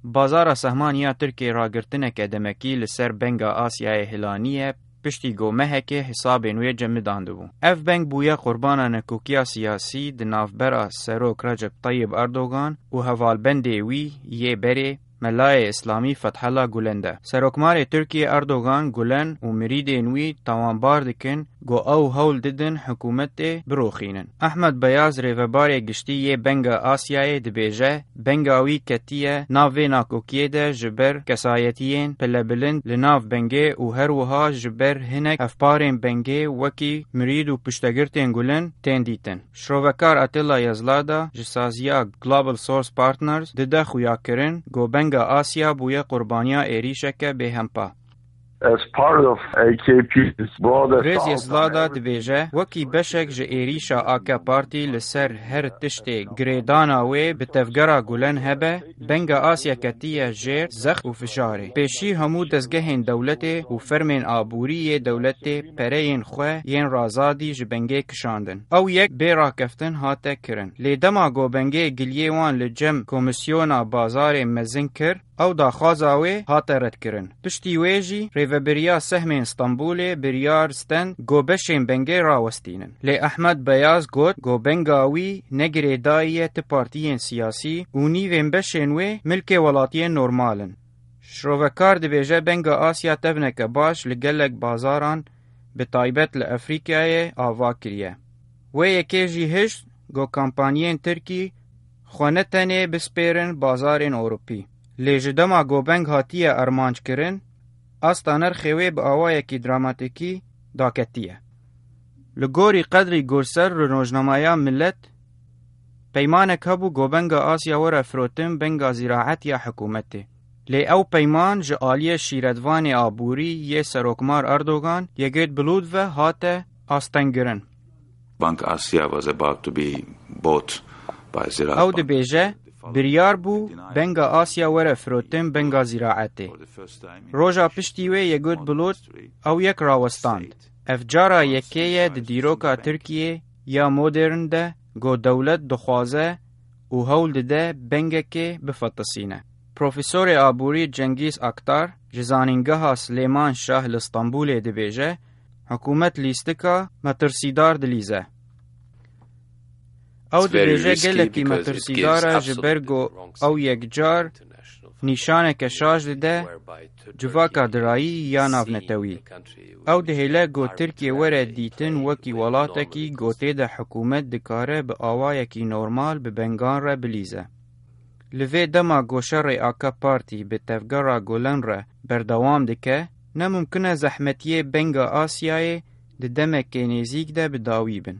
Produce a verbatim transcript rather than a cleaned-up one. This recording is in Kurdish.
Bazara sehman ya Tirkiyê ragirtineke demekî li ser Benga Asyayê hilaniye, piştî ku mehekê hesabên wê cemidandibû. Ev beng bûye qurbana nekokiya siyasî di navbera Serok Recep Tayyip Erdogan û hevalbendê wî yê berê Melayê Îslamî Fethullah Gulen de. Serokmarê Tirkiyê Erdogan, Gulen û mirîdên wî tawanbar dikin ku ew hewl didin hikûmetê biroxînin. Ahmed Beyaz, rêvebarê giştî yê Benga Asyayê, dibêje, Benga wî ketiye nav vê nakokiyê de ji ber kesayetiyên pilebilind li nav bengê û her wiha ji ber hinek hevparên bengê wekî mirîd û piştegirtên Gulen tên dîtin. Şrovekar Atilla Yazlada ji saziya Global Source Partners dide xuyakirin ku Benga Asya bûye qurbaniya êrîşeke bêhempa. As part of A K P's broader Rêz Yazlada dibêje, wekî beşek ji êrîşa A K Partî li ser her tiştê girêdana wê bi tevgera Gulen hebe, Benga Asya ketiye jêr zext û fijarê. Pêşî hemû dezgehên dewletê û fermên aborî yê dewletê pereyên xwe yên razadî ji bengê kişandin. Ew yek bê rakeftin hate kirin. Lê dema ku bengê giliyê wan li cem Komîsyona Bazarê Mezin kir, ew daxwaza wê hate redkirin. Piştî wê jî rêvebiriya sehmên Stenbolê biryar stend ku beşên bengê rawestînin. Lê Ahmed Beyaz got ku benga wî ne girêdayî ye ti partiyên siyasî û nîvên beşên wê milkê welatiyên normal in. Şrovekar dibêje Benga Asya tevneke baş li gelek bazaran, bi taybet li Efrîkayê, ava kiriye. Wê yekê jî hişt ku kampanyên Tirkî xwe ne tenê bispêrin bazarên Ewropî, lê ji dema ku beng hatiye armanc kirin, asta nirxê wê bi awayekî dramatîkî daketiye. Li gorî Qedrî Gurser li rojnameya Millet, peymanek hebû ku Benga Asya were firotin Benga Ziraet ya hikûmetê. Lê ew peyman ji aliyê şîretvanê aborî yê Serokmar Erdogan, Yegêt Bulut ve hate astengkirin. Bank Asya was about to be bought by Ziraat Ew Bank. Dibêje, biryar bû Benga Asya were firotin Benga Ziraetê. Roja piştî wê Yegêt Bulut ew yek rawestand. Ev cara yekê ye di dîroka Tirkiyê ya modern de ku dewlet dixwaze û hewl dide bengekê bifetisîne. Profesorê aborî Cengîz Aktar ji Zanîngeha Silêman Şah li Stenbolê dibêje, hikûmet lîstika metirsîdar dilîze. Ew dibêje gelekî metirsîdar e ji ber ku ew yekcar nîşaneke şaş dide civaka dirayî ya navnetewî. Ew dihêle ku Tirkiye were dîtin wekî welatekî ku tê de hikûmet dikare bi awayekî normal bi bengan re bilîze. Li vê dema ku şerê A K Partî bi tevgera Gulen re berdewam dike, ne mimkun e zehmetiyê Benga Asyayê di demekê nêzîk de bi dawî bin.